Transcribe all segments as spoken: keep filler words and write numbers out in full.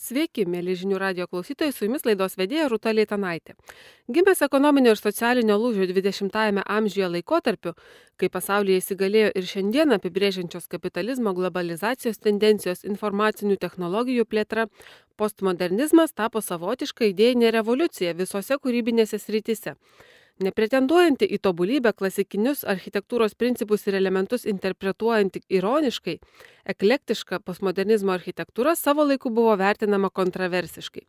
Sveiki, mėly žinių radio klausytojai, su jumis laidos vedėja Rūta Leitanaitė. Gimęs ekonominio ir socialinio lūžio dvidešimtajame amžiuje laikotarpiu, kai pasaulyje įsigalėjo ir šiandien apibrėžiančios kapitalizmo globalizacijos tendencijos informacinių technologijų plėtra, postmodernizmas tapo savotiška idėjinė revoliucija visose kūrybinėse srityse. Nepretenduojanti į tobulybę klasikinius architektūros principus ir elementus interpretuojanti ironiškai, eklektiška postmodernizmo architektūra savo laiku buvo vertinama kontroversiškai.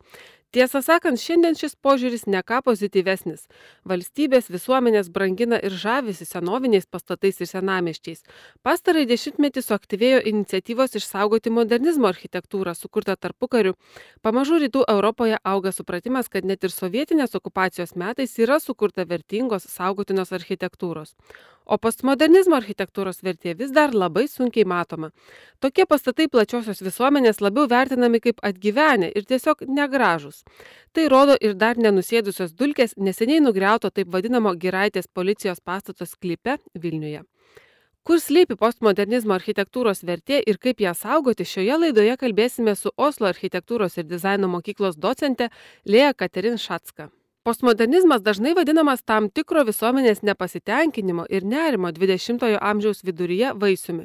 Tiesą sakant, šiandien šis požiūris ne ką pozityvesnis. Valstybės visuomenės brangina ir žavisi senoviniais pastatais ir senamiesčiais. Pastarąjį dešimtmetį suaktyvėjo iniciatyvos išsaugoti modernizmo architektūrą, sukurtą tarpukariu. Pamažu rytų Europoje auga supratimas, kad net ir sovietinės okupacijos metais yra sukurta vertingos saugotinos architektūros. O postmodernizmo architektūros vertė vis dar labai sunkiai matoma. Tokie pastatai plačiosios visuomenės labiau vertinami kaip atgyvenę ir tiesiog negražūs. Tai rodo ir dar nenusėdusios dulkės neseniai nugriauto taip vadinamo Giraitės policijos pastato sklype Vilniuje. Kur slypi postmodernizmo architektūros vertė ir kaip ją saugoti, šioje laidoje kalbėsime su Oslo architektūros ir dizaino mokyklos docente Lea Katerin Šatska. Postmodernizmas dažnai vadinamas tam tikro visuomenės nepasitenkinimo ir nerimo dvidešimtojo amžiaus viduryje vaisiumi.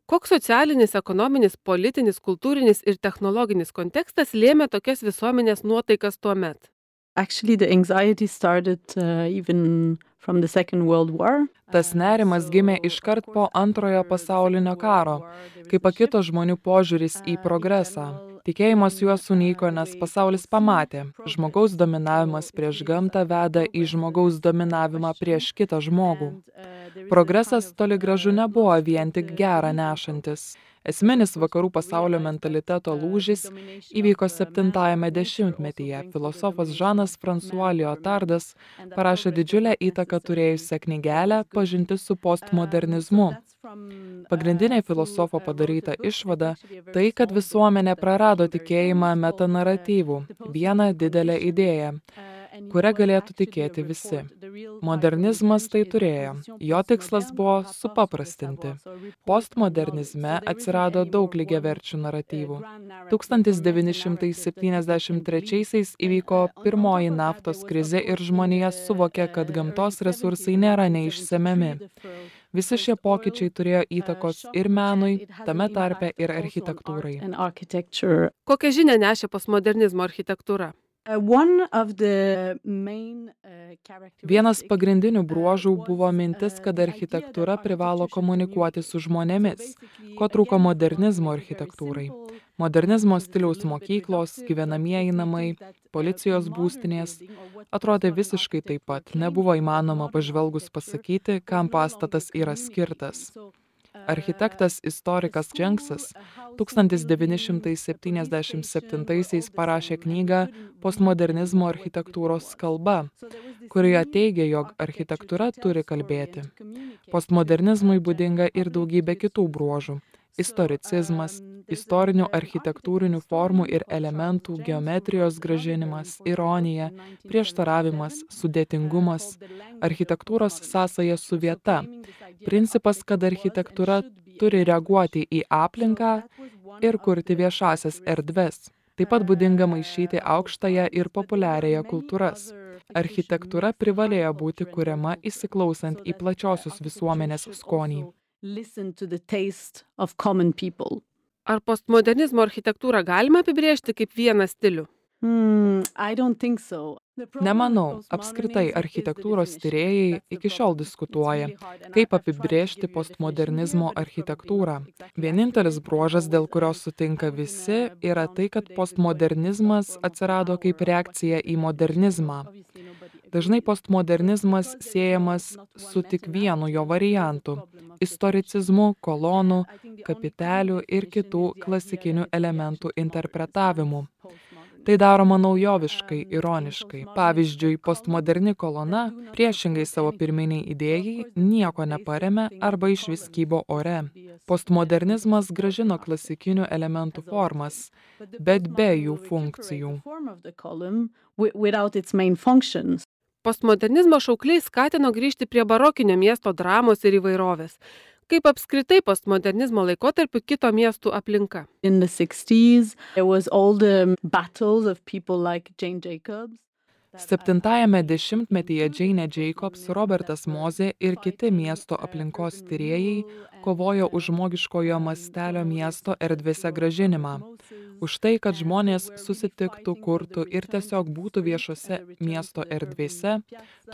Koks socialinis, ekonominis, politinis, kultūrinis ir technologinis kontekstas lėmė tokias visuomenės nuotaikas tuo met? Actually, the anxiety started uh, even from the Second World War. Tas nerimas gimė iškart po antrojo pasaulinio karo, kai pakito žmonių požiūris į progresą. Tikėjimas juos sunyko, nes pasaulis pamatė, žmogaus dominavimas prieš gamtą veda į žmogaus dominavimą prieš kitą žmogų. Progresas toli gražu nebuvo vien tik gerą nešantis. Esminis vakarų pasaulio mentaliteto lūžis įvyko septintajame dešimtmetyje. Filosofas Žanas François Lyotardas parašė didžiulę įtaką turėjusią knygelę Pažintis su postmodernizmu. Pagrindinė filosofo padaryta išvada - tai, kad visuomenė prarado tikėjimą metanaratyvų, vieną didelę idėją, kuria galėtų tikėti visi. Modernizmas tai turėjo. Jo tikslas buvo supaprastinti. Postmodernizme atsirado daug lygiaverčių naratyvų. tūkstantis devyni šimtai septyniasdešimt trečiaisiais įvyko pirmoji naftos krizė ir žmonija suvokė, kad gamtos resursai nėra neišsemiami. Visi šie pokyčiai turėjo įtakos ir menui, tame tarpe ir architektūrai. Kokią žinią nešė postmodernizmo architektūra? Vienas pagrindinių bruožų buvo mintis, kad architektūra privalo komunikuoti su žmonėmis, ko trūko modernizmo architektūrai. Modernizmo stiliaus mokyklos, gyvenamieji namai, policijos būstinės atrodė visiškai taip pat, nebuvo įmanoma pažvelgus pasakyti, kam pastatas yra skirtas. Architektas istorikas Dženksas tūkstantis devyni šimtai septyniasdešimt septintaisiais parašė knygą Postmodernizmo architektūros kalba, kurioje teigia, jog architektūra turi kalbėti. Postmodernizmui būdinga ir daugybė kitų bruožų. Istoricizmas, istorinių architektūrinių formų ir elementų geometrijos grąžinimas, ironija, prieštaravimas, sudėtingumas, architektūros sąsaja su vieta, principas, kad architektūra turi reaguoti į aplinką ir kurti viešasias erdves. Taip pat būdinga maišyti aukštąją ir populiariąją kultūras. Architektūra privalėjo būti kuriama įsiklausant į plačiosios visuomenės skonį. Ar postmodernizmo architektūrą galima apibrėžti kaip vieną stilių? Hmm, I don't think so. Nemanau, apskritai architektūros tyrėjai iki šiol diskutuoja, kaip apibrėžti postmodernizmo architektūrą. Vienintelis bruožas, dėl kurio sutinka visi, yra tai, kad postmodernizmas atsirado kaip reakcija į modernizmą. Dažnai postmodernizmas siejamas su tik vienu jo variantu - istoricizmu, kolonų, kapitelių ir kitų klasikinių elementų interpretavimu. Tai daroma naujoviškai, ironiškai. Pavyzdžiui, postmoderni kolona, priešingai savo pirminiai idėjai, nieko neparemė arba išvis kybo ore. Postmodernizmas grąžino klasikinių elementų formas, bet be jų funkcijų. Postmodernizmo šaukliai skatino grįžti prie barokinio miesto dramos ir įvairovės. Kaip apskritai postmodernizmo laikotarpiu kito miestų aplinka? In the sixties, there was all the battles of people like Jane Jacobs. Septintajame dešimtmetyje Jane Jacobs, Robertas Mozė ir kiti miesto aplinkos tyrėjai kovojo už žmogiškojo mastelio miesto erdvėse grąžinimą. Už tai, kad žmonės susitiktų, kurtų ir tiesiog būtų viešose miesto erdvėse,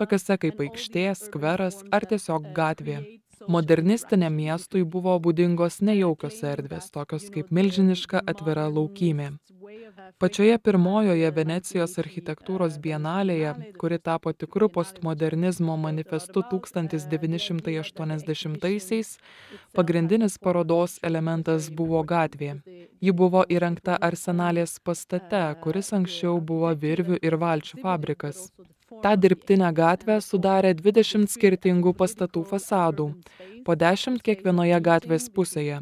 tokiose kaip aikštė, skveras ar tiesiog gatvė. Modernistiniam miestui buvo būdingos nejaukios erdvės, tokios kaip milžiniška atvira laukymė. Pačioje pirmojoje Venecijos architektūros bienalėje, kuri tapo tikru postmodernizmo manifestu tūkstantis devyni šimtai aštuoniasdešimtaisiais, pagrindinis parodos elementas buvo gatvė. Ji buvo įrengta Arsenalės pastate, kuris anksčiau buvo virvių ir valčių fabrikas. Ta dirbtinę gatvę sudarė dvidešimt skirtingų pastatų fasadų, po dešimt kiekvienoje gatvės pusėje.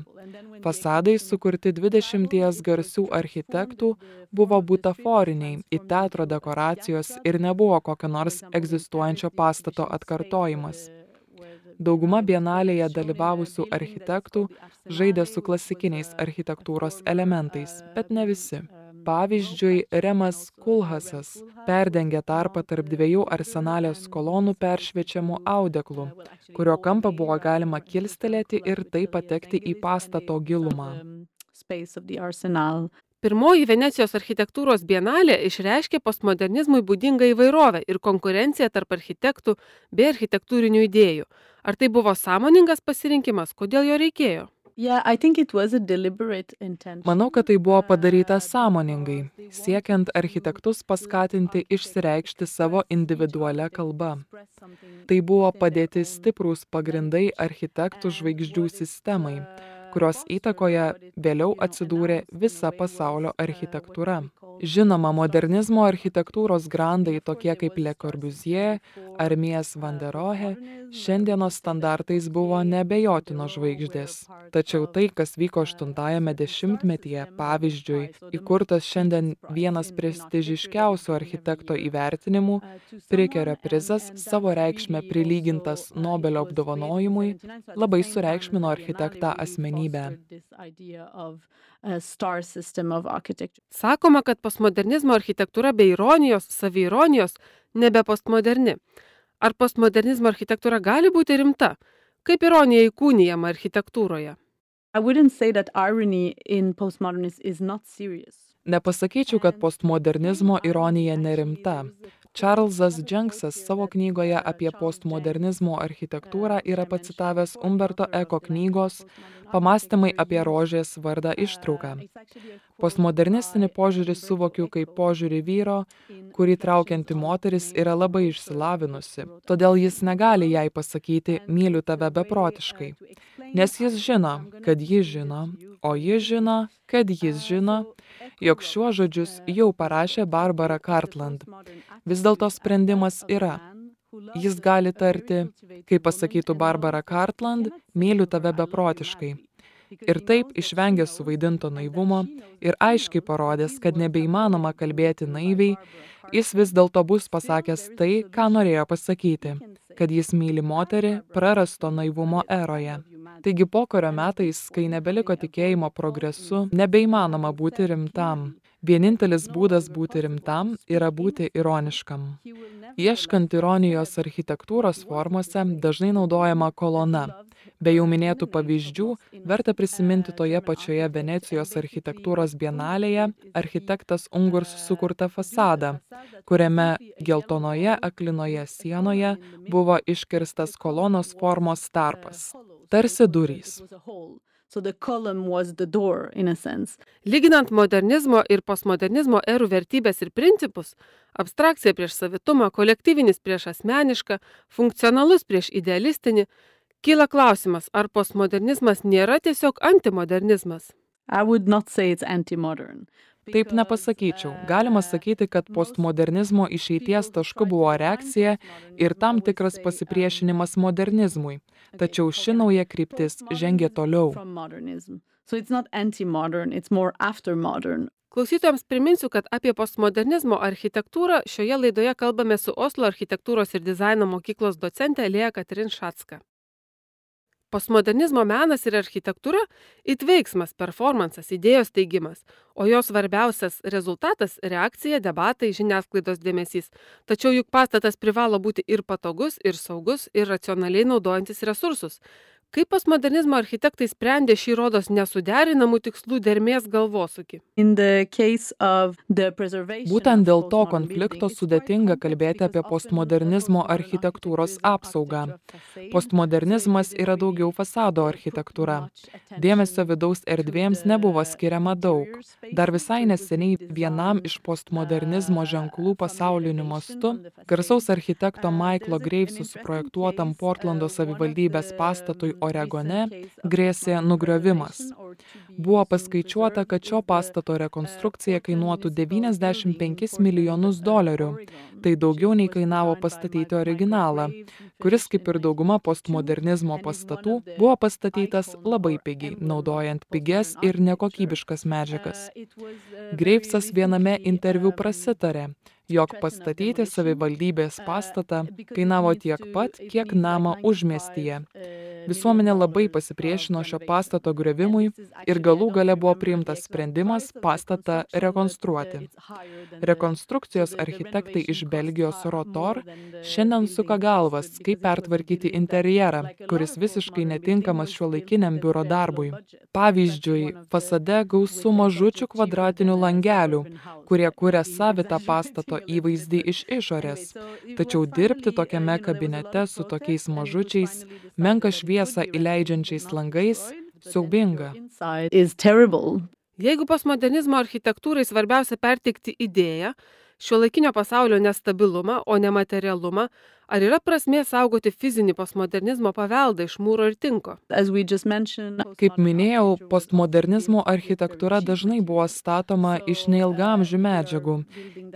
Fasadai, sukurti dvidešimties garsių architektų, buvo butaforiniai, į teatro dekoracijos ir nebuvo kokio nors egzistuojančio pastato atkartojimas. Dauguma bienalėje dalyvavusių architektų žaidė su klasikiniais architektūros elementais, bet ne visi. Pavyzdžiui, Remas Kulhasas perdengė tarpą tarp dviejų Arsenalės kolonų peršviečiamų audeklų, kurio kampą buvo galima kilstelėti ir taip patekti į pastato gilumą. Pirmoji Venecijos architektūros bienalė išreiškė postmodernizmui būdingą įvairovę ir konkurenciją tarp architektų bei architektūrinių idėjų. Ar tai buvo sąmoningas pasirinkimas, kodėl jo reikėjo? Yeah, I think it was a deliberate intention. Manau, kad tai buvo padaryta sąmoningai, siekiant architektus paskatinti išsireikšti savo individualią kalbą. Tai buvo padėti stiprūs pagrindai architektų žvaigždžių sistemai, kurios įtakoje vėliau atsidūrė visa pasaulio architektūra. Žinoma, modernizmo architektūros grandai tokie kaip Le Corbusier ar Mies van der Rohe šiandienos standartais buvo neabejotinos žvaigždės. Tačiau tai, kas vyko aštuntajame dešimtmetyje, pavyzdžiui, įkurtas šiandien vienas prestižiškiausių architekto įvertinimų, Prikerio prizas, savo reikšmę prilygintas Nobelio apdovanojimui, labai sureikšmino architektą asmenybę. Sakoma, kad postmodernizmo architektūra be ironijos, saviironijos nebe postmoderni. Ar postmodernizmo architektūra gali būti rimta? Kaip ironija įkūnijama architektūroje? I wouldn't say that irony in postmodernism is not serious. Nepasakyčiau, kad postmodernizmo ironija nerimta. Čarlzas Dženksas savo knygoje apie postmodernizmo architektūrą yra pacitavęs Umberto Eko knygos Pamąstymai apie rožės vardą ištrauką. Postmodernistinį požiūrį suvokiu kaip požiūrį vyro, kurį traukianti moteris yra labai išsilavinusi, todėl jis negali jai pasakyti myliu tave beprotiškai, nes jis žino, kad ji žino, o ji žino, kad jis žino, jog šiuos žodžius jau parašė Barbara Cartland. Vis dėlto sprendimas yra. Jis gali tarti, kaip pasakytų Barbara Cartland, myliu tave beprotiškai. Ir taip išvengė suvaidinto naivumo ir aiškiai parodęs, kad nebeįmanoma kalbėti naiviai, jis vis dėlto bus pasakęs tai, ką norėjo pasakyti, kad jis myli moterį prarasto naivumo eroje. Taigi pokario metais, kai nebeliko tikėjimo progresu, nebeįmanoma būti rimtam. Vienintelis būdas būti rimtam yra būti ironiškam. Ieškant ironijos architektūros formose dažnai naudojama kolona. Be jau minėtų pavyzdžių, verta prisiminti toje pačioje Venecijos architektūros bienalėje architektas Ungurs sukurtą fasadą, kuriame geltonoje aklinoje sienoje buvo iškirstas kolonos formos tarpas, tarsi durys. So the column was the door, in a sense. Lyginant modernizmo ir postmodernizmo erų vertybės ir principus, abstrakcija prieš savitumą, kolektyvinis prieš asmenišką, funkcionalus prieš idealistinį, kyla klausimas, ar postmodernizmas nėra tiesiog antimodernizmas? I would not say it's anti-modern. Taip nepasakyčiau. Galima sakyti, kad postmodernizmo išeities tašku buvo reakcija ir tam tikras pasipriešinimas modernizmui. Tačiau ši nauja kryptis žengė toliau. So it's not anti-modern, it's more after-modern. Klausytojams priminsiu, kad apie postmodernizmo architektūrą šioje laidoje kalbame su Oslo architektūros ir dizaino mokyklos docente Lea Katrin Šatska. Postmodernizmo menas ir architektūra – it veiksmas, performansas, idėjos teigimas, o jo svarbiausias rezultatas – reakcija, debatai, žiniasklaidos dėmesys. Tačiau juk pastatas privalo būti ir patogus, ir saugus, ir racionaliai naudojantis resursus. Kaip postmodernizmo architektai sprendė šį rodos nesuderinamų tikslų dermės galvosūkį? Būtent dėl to konflikto sudėtinga kalbėti apie postmodernizmo architektūros apsaugą. Postmodernizmas yra daugiau fasado architektūra. Dėmesio vidaus erdvėms nebuvo skiriama daug. Dar visai neseniai vienam iš postmodernizmo ženklų pasauliniu mastu, garsaus architekto Michaelo Graveso suprojektuotam Portlando savivaldybės pastatui Oregone, grėsė nugriovimas. Buvo paskaičiuota, kad šio pastato rekonstrukcija kainuotų devyniasdešimt penkis milijonus dolerių. Tai daugiau nei kainavo pastatyti originalą, kuris, kaip ir dauguma postmodernizmo pastatų, buvo pastatytas labai pigiai, naudojant pigias ir nekokybiškas medžiagas. Gravesas viename interviu prasitarė, jog pastatyti savivaldybės pastatą kainavo tiek pat, kiek namą užmiestyje. Visuomenė labai pasipriešino šio pastato griovimui ir galų gale buvo priimtas sprendimas pastatą rekonstruoti. Rekonstrukcijos architektai iš Belgijos Rotor šiandien suka galvas, kaip pertvarkyti interjerą, kuris visiškai netinkamas šiuolaikiniam biuro darbui. Pavyzdžiui, fasade gausu mažučių kvadratinių langelių, kurie kuria savitą pastato įvaizdį iš išorės. Tačiau dirbti tokiame kabinete su tokiais mažučiais, menką šviesą įleidžiančiais langais, siaubinga. Jeigu postmodernizmo architektūrai svarbiausia perteikti idėją, šiuolaikinio pasaulio nestabilumą, o ne materialumą, ar yra prasmė saugoti fizinį postmodernizmo paveldą iš mūro ir tinko? Kaip minėjau, postmodernizmo architektūra dažnai buvo statoma iš neilgamžių medžiagų.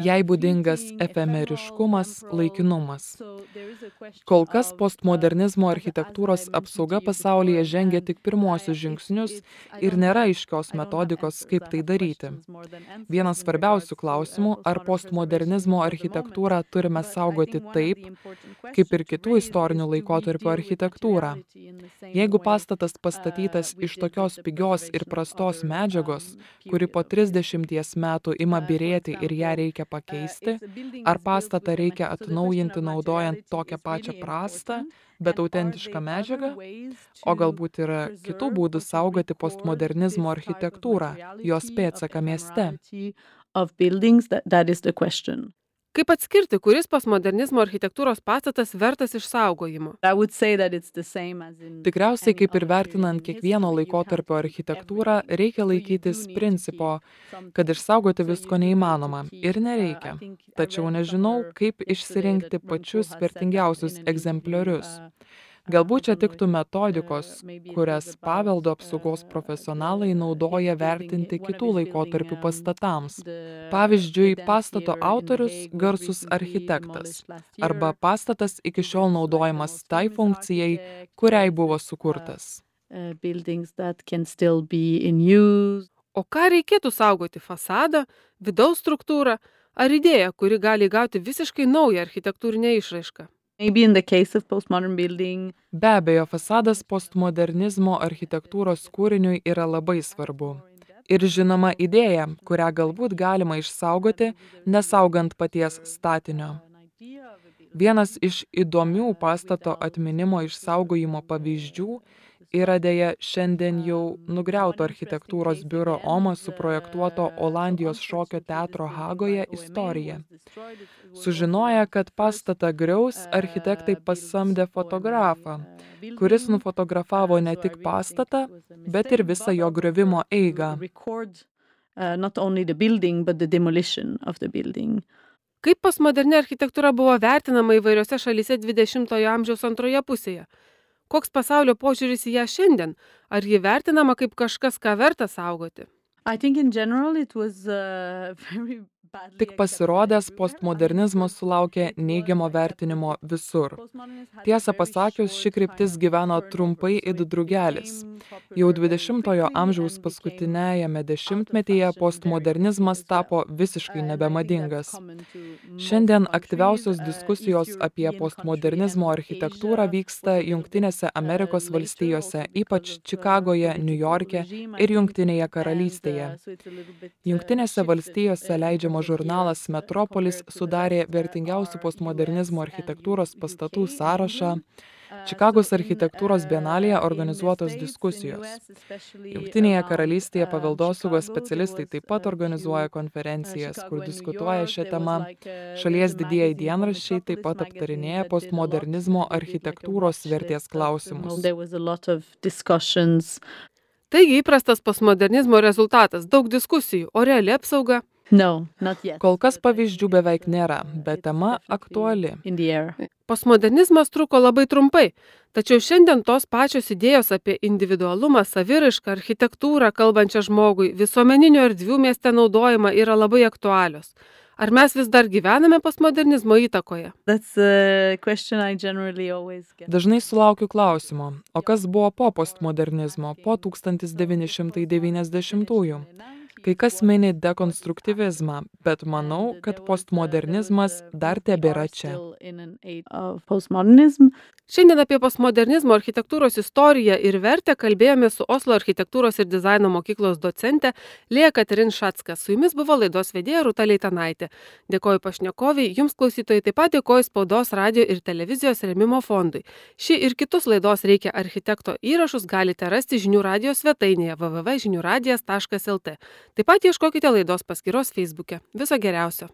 Jai būdingas efemeriškumas, laikinumas. Kol kas postmodernizmo architektūros apsauga pasaulyje žengia tik pirmuosius žingsnius ir nėra aiškios metodikos, kaip tai daryti. Vienas svarbiausių klausimų, ar postmodernizmo architektūrą turime saugoti taip, kaip ir kitų istorinių laikotarpių architektūrą. Jeigu pastatas pastatytas iš tokios pigios ir prastos medžiagos, kuri po trisdešimties metų ima byrėti ir ją reikia pakeisti, ar pastatą reikia atnaujinti naudojant tokią pačią prastą, bet autentišką medžiagą, o galbūt yra kitų būdų saugoti postmodernizmo architektūrą, jos pėdsaką mieste. Kaip atskirti, kuris postmodernizmo architektūros pastatas vertas išsaugojimo? Tikriausiai, kaip ir vertinant kiekvieno laikotarpio architektūrą, reikia laikytis principo, kad išsaugoti visko neįmanoma ir nereikia. Tačiau nežinau, kaip išsirinkti pačius vertingiausius egzempliorius. Galbūt čia tiktų metodikos, kurias paveldo apsaugos profesionalai naudoja vertinti kitų laikotarpių pastatams. Pavyzdžiui, pastato autorius garsus architektas arba pastatas iki šiol naudojamas tai funkcijai, kuriai buvo sukurtas. O ką reikėtų saugoti – fasadą, vidaus struktūrą ar idėją, kuri gali įgauti visiškai naują architektūrinę išraišką? Be abejo, fasadas postmodernizmo architektūros kūriniui yra labai svarbu. Ir žinoma idėja, kurią galbūt galima išsaugoti, nesaugant paties statinio. Vienas iš įdomių pastato atminimo išsaugojimo pavyzdžių yra deja šiandien jau nugriauto architektūros biuro OMA suprojektuoto Olandijos šokio teatro Hagoje istorija. Sužinoję, kad pastatą griaus, architektai pasamdė fotografą, kuris nufotografavo ne tik pastatą, bet ir visą jo griovimo eigą. Kaip postmoderni architektūra buvo vertinama įvairiose šalyse dvidešimtojo amžiaus antroje pusėje? Koks pasaulio požiūris į ją šiandien? Ar ji vertinama kaip kažkas, ką verta saugoti? Tik pasirodęs, postmodernizmas sulaukė neigiamo vertinimo visur. Tiesą pasakius, ši kryptis gyveno trumpai it drugelis. Jau dvidešimtojo amžiaus paskutinėjame dešimtmetyje postmodernizmas tapo visiškai nebemadingas. Šiandien aktyviausios diskusijos apie postmodernizmo architektūrą vyksta Jungtinėse Amerikos valstijose, ypač Čikagoje, Niujorke ir Jungtinėje karalystėje. Jungtinėse valstijose leidžiamas žurnalas Metropolis sudarė vertingiausių postmodernizmo architektūros pastatų sąrašą. Čikagos architektūros bienalėje organizuotos diskusijos. Jungtinėje karalystėje paveldosaugos specialistai taip pat organizuoja konferencijas, kur diskutuoja šią temą. Šalies didieji dienraščiai taip pat aptarinėja postmodernizmo architektūros vertės klausimus. Taigi įprastas postmodernizmo rezultatas – daug diskusijų, o reali apsauga? No, not yet. Kol kas pavyzdžių beveik nėra, bet tema aktuali. In the air. Postmodernizmas truko labai trumpai, tačiau šiandien tos pačios idėjos apie individualumą, saviraišką, architektūrą, kalbančią žmogui, visuomeninių erdvių mieste naudojimą yra labai aktualios. Ar mes vis dar gyvename postmodernizmo įtakoje? That's a question I generally always get. Dažnai sulaukiu klausimo, o kas buvo po postmodernizmo, po tūkstantis devyni šimtai devyniasdešimtųjų? Kai kas mini dekonstruktyvizmą, bet manau, kad postmodernizmas dar tebėra čia. Postmodernism. Šiandien apie postmodernizmo architektūros istoriją ir vertę kalbėjome su Oslo architektūros ir dizaino mokyklos docente Lėja Katerin Šacka. Su jumis buvo laidos vedėja Rūta Leitanaitė. Dėkoju pašnekoviai, jums klausytojai taip pat dėkoju Spaudos, radijo ir televizijos rėmimo fondui. Šį ir kitus laidos Reikia architekto įrašus galite rasti žinių radijos svetainėje w w w taškas žinių radijas taškas l t. Taip pat ieškokite laidos paskyros Feisbuke. Viso geriausio.